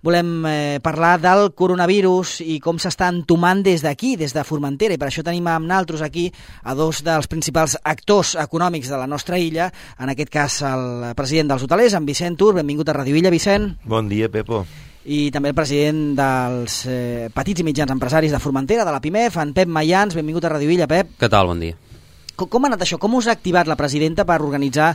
volem parlar del coronavirus i com s'està entomant des d'aquí, des de Formentera, i per això tenim amb naltros aquí a dos dels principals actors econòmics de la nostra illa, en aquest cas el president dels hotelers, en Vicent Tur. Benvingut a Ràdio Illa, Vicent. Bon dia, Pepo. I també el president dels petits i mitjans empresaris de Formentera, de la PIMEF, en Pep Mayans. Benvingut a Ràdio Illa, Pep. Què tal? Bon dia. Com ha anat això? Com us ha activat la presidenta per organitzar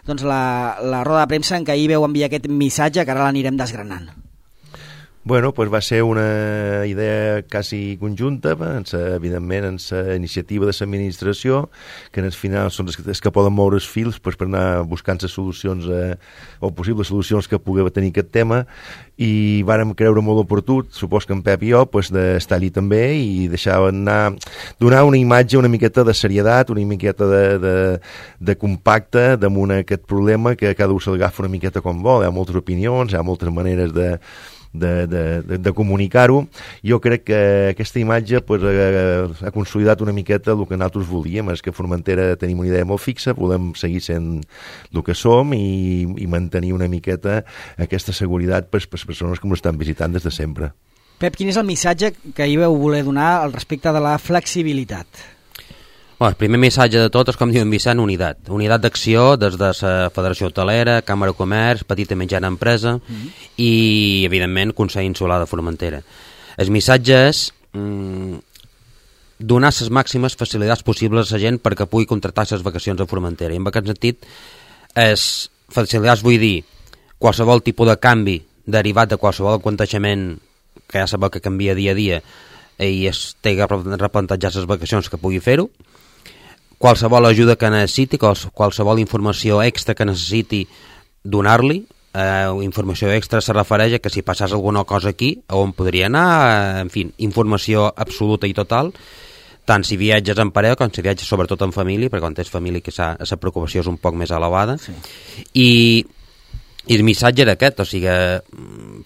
la roda de premsa en què ahir veu enviar aquest missatge que ara l'anirem desgranant? Bueno, pues va ser una idea quasi conjunta, evidentment, en la iniciativa de l'administració, que en el final són els que poden moure els fils per anar buscant les solucions o possibles solucions que pugui tenir aquest tema, i vàrem creure molt oportú, supos que en Pep i jo, d'estar allí també i deixar anar, donar una imatge una miqueta de seriedat, una miqueta de compacte damunt aquest problema, que cada un se'l agafa una miqueta com vol. Hi ha moltes opinions, hi ha moltes maneres de comunicar-ho. Jo crec que aquesta imatge ha consolidat una miqueta el que nosaltres volíem, és que a Formentera tenim una idea molt fixa, volem seguir sent el que som i mantenir una miqueta aquesta seguretat per les persones que ens estan visitant des de sempre. Pep, quin és el missatge que ahir vau voler donar al respecte de la flexibilitat? Bueno, el primer missatge de tot és, com diu en Vicent, unitat. Unitat d'acció des de la Federació Hotelera, Càmera de Comerç, Petita i Mitjana Empresa i, evidentment, Consell Insular de Formentera. El missatge és donar les màximes facilitats possibles a la gent perquè pugui contractar les vacacions a Formentera. I en aquest sentit, facilitats vull dir qualsevol tipus de canvi derivat de qualsevol aconteixement que ja sabeu que canvia dia a dia i es té que replantejar les vacacions que pugui fer-ho, qualsevol ajuda que necessiti, qualsevol informació extra que necessiti donar-li. Informació extra se refereix a que si passés alguna cosa aquí, on podria anar, en fi, informació absoluta i total, tant si viatges en parella com si viatges sobretot en família, perquè quan tens família que la preocupació és un poc més elevada. Sí. I el missatge era aquest, o sigui,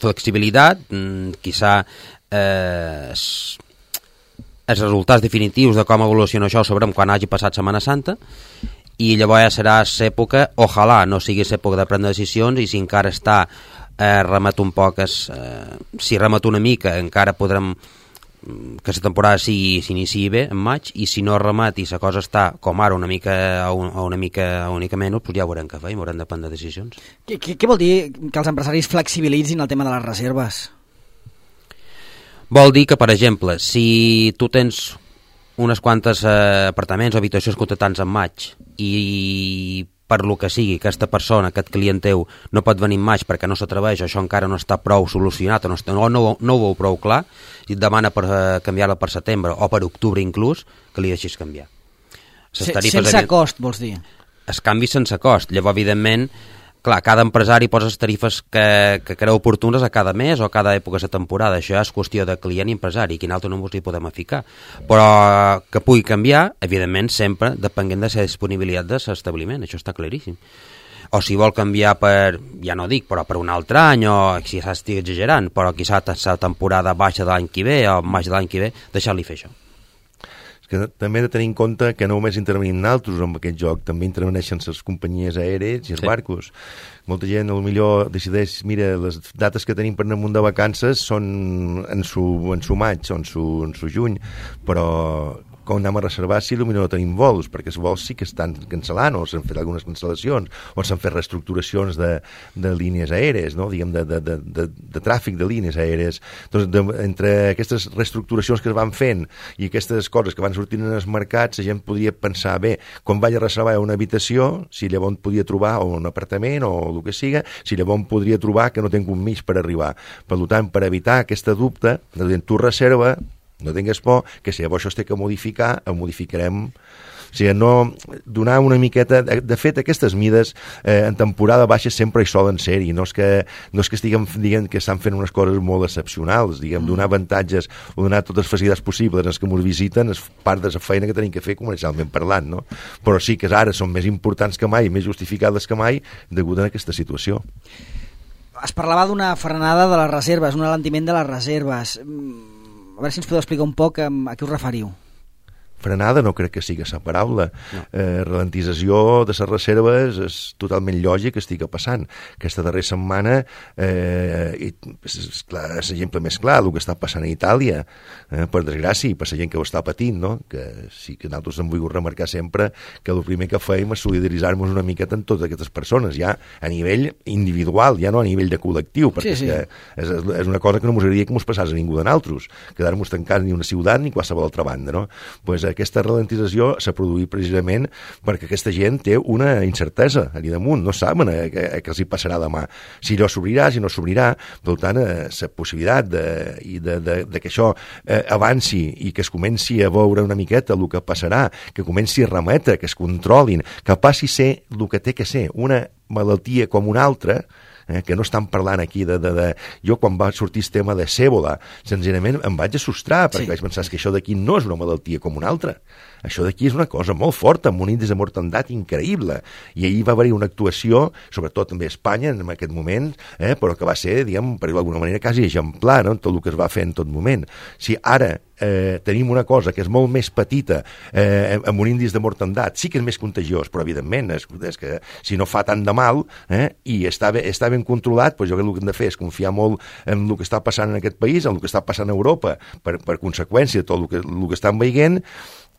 flexibilitat, quizà els resultats definitius de com evoluciona això ho sabrem quan hagi passat Setmana Santa, i llavors ja serà l'època, ojalà no sigui l'època de prendre decisions, i si encara està remet un poc, si remet una mica encara podrem que la temporada s'iniciï bé en maig, i si no remet i la cosa està com ara una mica menys, doncs ja veurem què fer i haurem de prendre decisions. Què vol dir que els empresaris flexibilitzin el tema de les reserves? Vol dir que, per exemple, si tu tens unes quantes apartaments o habitacions contractants en maig i per lo que sigui aquesta persona, aquest client teu, no pot venir en maig perquè no s'atreveix, això encara no està prou solucionat o no ho veu prou clar, i et demana per canviar-la per setembre o per octubre inclús, que li deixis canviar. Sense cost, vols dir? Es canvi sense cost. Llavors, evidentment, clar, cada empresari posa les tarifes que creu oportunes a cada mes o a cada època de la temporada. Això és qüestió de client i empresari, i quin altre no ens hi podem ficar. Però que pugui canviar, evidentment, sempre depenent de la disponibilitat de l'establiment, això està claríssim. O si vol canviar per, ja no dic, però per un altre any, o si s'estigui exagerant, però quizà la temporada baixa de l'any que ve o maig de l'any que ve, deixar-li fer això. Que també hem de tenir en compte que no només intervenim nosaltres en aquest joc, també interveneixen les companyies aèries i els barcos. Molta gent potser decideix, mira, les dates que tenim per anar amunt de vacances són en su maig o en su juny, però com anem a reservar si potser no tenim vols, perquè els vols sí que estan cancel·lant o s'han fet algunes cancel·lacions o s'han fet reestructuracions de línies aèries, no? Diguem, de tràfic de línies aèries. Doncs entre aquestes reestructuracions que es van fent i aquestes coses que van sortint en els mercats, la gent podria pensar, bé, quan vaig a reservar una habitació, si llavors podia trobar un apartament o el que siga, si llavors podria trobar que no tinc un mig per arribar. Per tant, per evitar aquesta dubte, tu reserva, no tingues por, que si llavors això es té que modificar, ho modificarem. O sigui, no donar una miqueta... De fet, aquestes mides en temporada baixa sempre hi solen ser, i no és que estiguem dient que estan fent unes coses molt excepcionals, diguem, donar avantatges o donar totes les facilitats possibles als que ens visiten és part de la feina que tenim que fer comercialment parlant, no? Però sí que ara són més importants que mai, més justificades que mai, degut a aquesta situació. Es parlava d'una frenada de les reserves, un alentiment de les reserves. A veure si ens podeu explicar un poc a què us referiu. Frenada no crec que sigui la paraula. No. Ralentització de les reserves és totalment lògic que estigui passant. Aquesta darrera setmana és l'exemple més clar el que està passant a Itàlia, per desgràcia, i per la gent que ho està patint, no? Que sí que nosaltres hem volgut remarcar sempre que el primer que fèiem és solidaritzar-nos una miqueta amb totes aquestes persones, ja a nivell individual, ja no a nivell de col·lectiu, perquè sí. És una cosa que no ens agradaria que ens passés a ningú de nosaltres, quedar-nos tancats ni una ciutat ni qualsevol altra banda, no? Pues aquesta ralentització s'ha produït precisament perquè aquesta gent té una incertesa allà damunt, no saben què els hi passarà demà, si allò s'obrirà, si no s'obrirà. Per tant, la possibilitat de que això avanci i que es comenci a veure una miqueta el que passarà, que comenci a remetre, que es controlin, que passi a ser el que té que ser, una malaltia com una altra, que no estan parlant aquí Jo, quan va sortir el tema de Sèbola, senzillament em vaig assustar, perquè vaig pensar que això d'aquí no és una malaltia com una altra. Això d'aquí és una cosa molt forta, amb un índex de mortandat increïble. I ahir va haver-hi una actuació, sobretot també a Espanya, en aquest moment, però que va ser, diguem, per dir-ho d'alguna manera, quasi exemplar, no?, en tot el que es va fer en tot moment. Si ara tenim una cosa que és molt més petita, amb un índex de mortandat, sí que és més contagiós, però evidentment és que si no fa tant de mal i està ben controlat, doncs jo crec que el que hem de fer és confiar molt en el que està passant en aquest país, en el que està passant a Europa, per conseqüència de tot el que estan veient.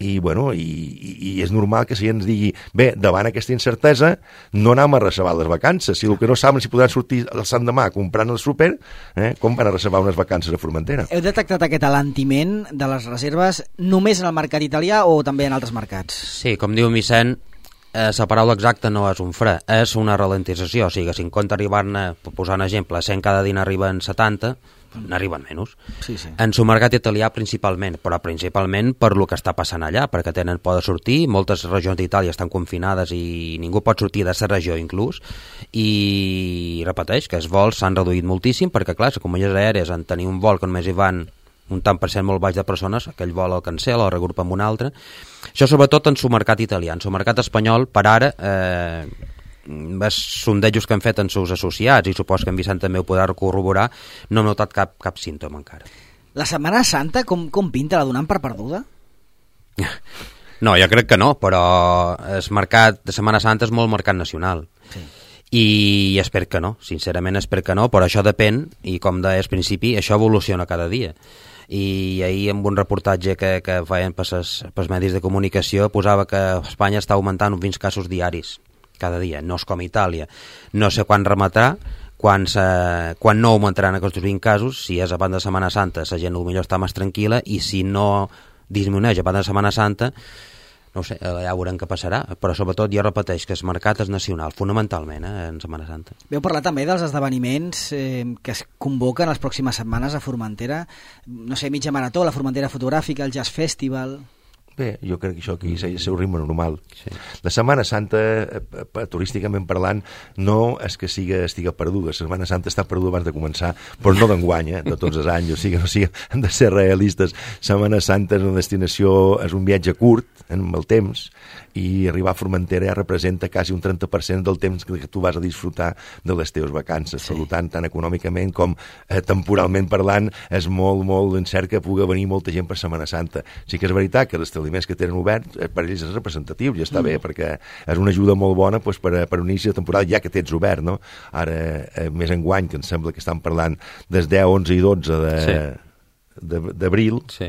I, bueno, i és normal que si ens digui, bé, davant aquesta incertesa no anem a reservar les vacances. Si el que no saben si podran sortir el sant demà comprant el súper, com van a reservar unes vacances a Formentera? Heu detectat aquest alentiment de les reserves només en el mercat italià o també en altres mercats? Sí, com diu Vicent, la paraula exacta no és un fre, és una ralentització. O sigui, si en compte arribar-ne, per posar un exemple, 100 cada dia n'arriben 70, n'arriben menys. Sí. En el mercat italià principalment, però principalment per lo que està passant allà, perquè tenen por de sortir, moltes regions d'Itàlia estan confinades i ningú pot sortir de la regió inclús, i repeteix que els vols s'han reduït moltíssim, perquè clar, les companyies aèries en tenir un vol que només hi van un tant per cent molt baix de persones, aquell vol el cancel o el regrupa amb un altre. Això sobretot en el mercat italià. En el mercat espanyol, per ara, és sondejos que han fet en seus associats, i supos que en Vicent també ho podrà corroborar, no hem notat cap símptoma encara. La Setmana Santa com pinta? La donem per perduda? No, jo crec que no, però el mercat de Setmana Santa és molt mercat nacional. Sí. I espero que no, sincerament espero que no, però això depèn, i com deies al principi, això evoluciona cada dia. I ahir amb un reportatge que feien pels medis de comunicació posava que Espanya està augmentant uns 20 casos diaris cada dia, no és com Itàlia. No sé quan remetrà, quan no augmentaran aquests 20 casos, si és abans de Setmana Santa la gent potser està més tranquil·la, i si no disminueix abans de Setmana Santa, no sé, ja veurem què passarà, però sobretot jo repeteix que el mercat és nacional, fonamentalment, en Setmana Santa. Veu parlar també dels esdeveniments que es convoquen les pròximes setmanes a Formentera, no sé, mitja marató, la Formentera Fotogràfica, el Jazz Festival... Bé, jo crec que això aquí és el seu ritme normal. Sí. La Setmana Santa, turísticament parlant, no és que estiga perduda. La Setmana Santa està perduda abans de començar, però no d'enguany, de tots els anys. O sigui, hem de ser realistes. Setmana Santa és una destinació, és un viatge curt en el temps, i arribar a Formentera ja representa quasi un 30% del temps que tu vas a disfrutar de les teves vacances. Sí. Per tant econòmicament com temporalment parlant, és molt incert que pugui venir molta gent per Setmana Santa. Sí que és veritat que els establiments que tenen oberts per ells és representatiu, ja està bé, perquè és una ajuda molt bona doncs, per un inici de temporada, ja que tens obert, no? Ara, més enguany, que em sembla que estan parlant des 10, 11 i 12 d'abril, sí.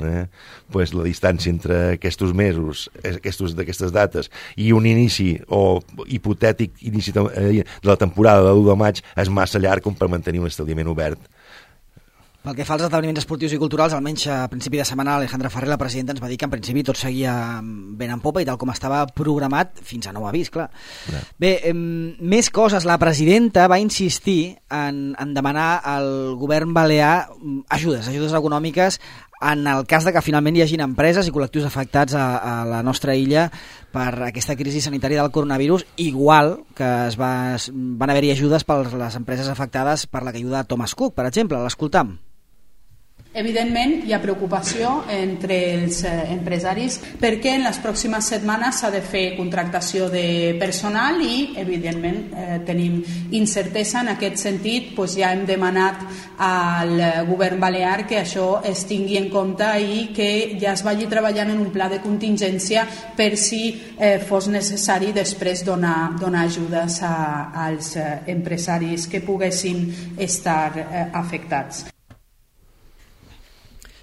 Pues la distància entre aquests mesos, d'aquestes dates, i un inici o hipotètic inici de la temporada de l'1 de maig és massa llarg com per mantenir un establiment obert. Pel que fa als esdeveniments esportius i culturals, almenys a principi de setmana Alejandra Ferrer, la presidenta, ens va dir que en principi tot seguia ben en popa i tal com estava programat, fins a nou avís, clar. Ja. Bé, més coses. La presidenta va insistir en demanar al govern balear ajudes econòmiques en el cas de que finalment hi hagin empreses i col·lectius afectats a la nostra illa per aquesta crisi sanitària del coronavirus, igual que van haver-hi ajudes per les empreses afectades per la caiguda de Thomas Cook, per exemple. L'escoltam. Evidentment, hi ha preocupació entre els empresaris perquè en les pròximes setmanes s'ha de fer contractació de personal i, evidentment, tenim incertesa. En aquest sentit, ja hem demanat al govern balear que això es tingui en compte i que ja es vagi treballant en un pla de contingència per si fos necessari després donar ajudes als empresaris que poguessin estar afectats.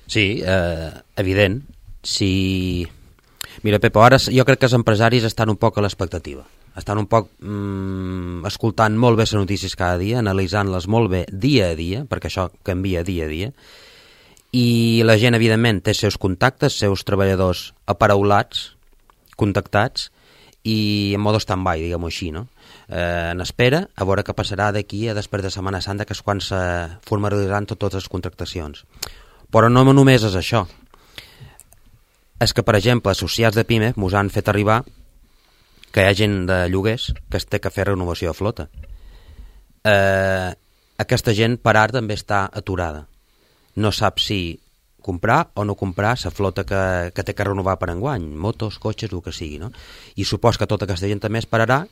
Sí, evident. Mira, Pepo, ara jo crec que els empresaris estan un poc a l'expectativa. Estan un poc escoltant molt bé les notícies cada dia, analitzant-les molt bé dia a dia, perquè això canvia dia a dia, i la gent, evidentment, té seus contactes, seus treballadors aparaulats, contactats, i en modo stand-by, diguem-ho així, no? En espera, a veure què passarà d'aquí a després de Setmana Santa, que és quan se formalitzaran totes les contractacions. Però no només és això. És que, per exemple, associats de PIME mos han fet arribar que hi ha gent de lloguers que es té que fer renovació de flota. Aquesta gent per ara també està aturada. No sap si comprar o no comprar la flota que té que renovar per enguany, motos, cotxes, el que sigui, no? I supos que tota aquesta gent també esperarà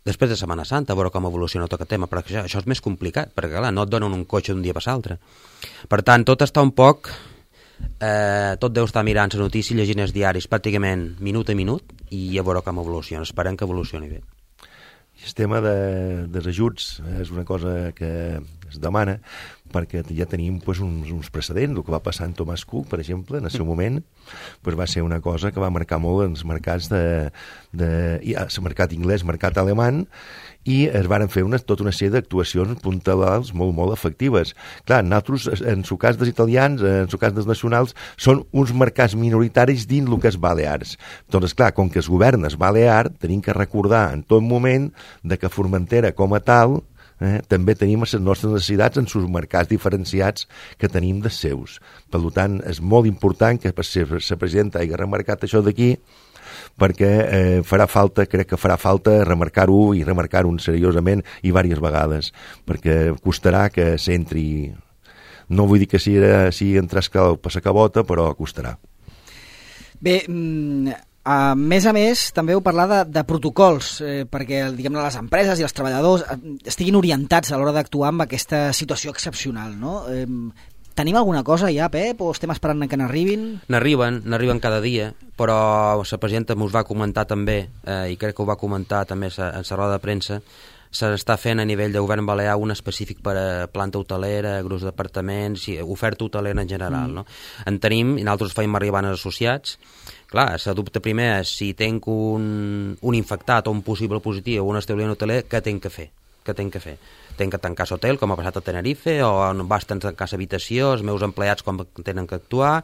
després de Setmana Santa, a veure com evoluciona tot aquest tema, perquè això és més complicat, perquè clar, no et donen un cotxe d'un dia per l'altre. Per tant, tot està un poc... tot deu estar mirant les notícies, llegint els diaris pràcticament minut a minut i a veure com evoluciona. Esperem que evolucioni bé. El tema dels ajuts és una cosa que es demana perquè ja tenim uns precedents. El que va passar en Thomas Cook, per exemple, en el seu moment, va ser una cosa que va marcar molt els mercats el mercat anglès, el mercat alemany, i es van fer tota una sèrie d'actuacions puntuals molt, molt efectives. Clar, nosaltres, en el cas dels italians, en el cas dels nacionals, són uns mercats minoritaris dins el que és Balears. Doncs, clar, com que es governa es Balear, tenim que recordar en tot moment de que Formentera, com a tal, també tenim les nostres necessitats en els mercats diferenciats que tenim dels seus. Per tant, és molt important que la presidenta hagi remarcat això d'aquí, perquè crec que farà falta remarcar-ho i remarcar-ho seriosament i diverses vegades, perquè costarà que s'entri, no vull dir que sigui entrar per la cabota, però costarà. Bé, a més, també heu parlat de protocols, perquè diguem-ne les empreses i els treballadors estiguin orientats a l'hora d'actuar amb aquesta situació excepcional, no? Tenim alguna cosa ja, Pep, o estem esperant que n'arribin? N'arriben cada dia, però la presidenta m'ho va comentar també, i crec que ho va comentar també en la roda de premsa, s'està fent a nivell de govern balear un específic per a planta hotelera, grups d'apartaments, oferta hotelera en general, no? En tenim, i nosaltres feim arribar als associats. Clar, el dubte primer és si tenc un infectat o un possible positiu o un establiment hoteler, què tenc que fer? Tenc que tancar l'hotel, com ha passat a Tenerife, o basten tancar l'habitació, els meus empleats com tenen que actuar,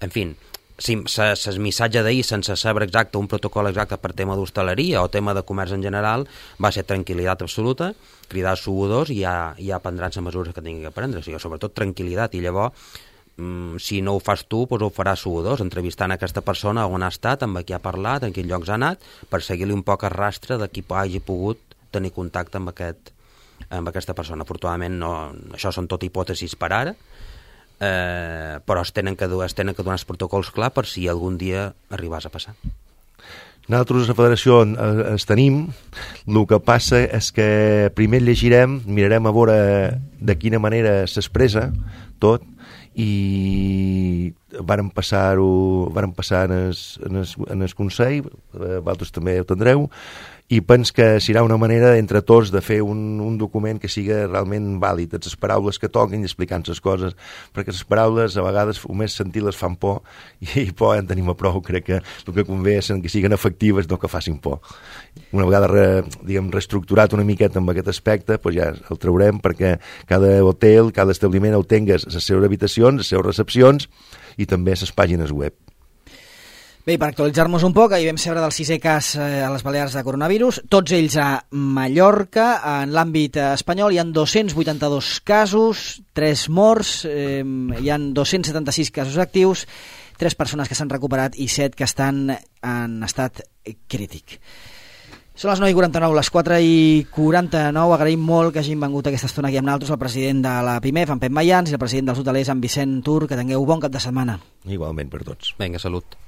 en fi, el missatge d'ahir sense saber exacte un protocol exacte per tema d'hostaleria o tema de comerç en general va ser tranquil·litat absoluta, cridar els sugadors i ja prendran les mesures que tinguin que prendre, o sigui, sobretot tranquil·litat, i llavors si no ho fas tu, doncs ho faràs sugadors, entrevistant aquesta persona on ha estat, amb qui ha parlat, en quins llocs ha anat, per seguir-li un poc el rastre de qui hagi pogut tenir contacte amb aquesta persona. Afortunadament això són tot hipòtesis per ara, però es tenen que donar els protocols clar per si algun dia arribàs a passar. Nosaltres a la federació els tenim, el que passa és que primer llegirem, mirarem a veure de quina manera s'expressa tot, i varen passar en el Consell, vosaltres també ho tindreu, i penso que serà una manera entre tots de fer un document que sigui realment vàlid, les paraules que toquin i explicant les coses, perquè les paraules a vegades només sentir-les fan por, i por en tenim a prou. Crec que el que convé és que siguin efectives, no que facin por. Una vegada reestructurat una miqueta amb aquest aspecte, doncs ja el traurem perquè cada hotel, cada establiment el tingués les seves habitacions, les seves recepcions i també les pàgines web. Bé, per actualitzar-nos un poc, ahir vam saber del 6è cas a les Balears de coronavirus, tots ells a Mallorca. En l'àmbit espanyol hi ha 282 casos, 3 morts, hi ha 276 casos actius, 3 persones que s'han recuperat i 7 que estan en estat crític. Són les 9:49, les 4:49. Agraïm molt que hagin vengut aquesta estona aquí amb nosaltres el president de la PIMEF, en Pep Mayans, i el president dels hotelers, en Vicent Tur. Que tingueu bon cap de setmana. Igualment per tots. Vinga, salut.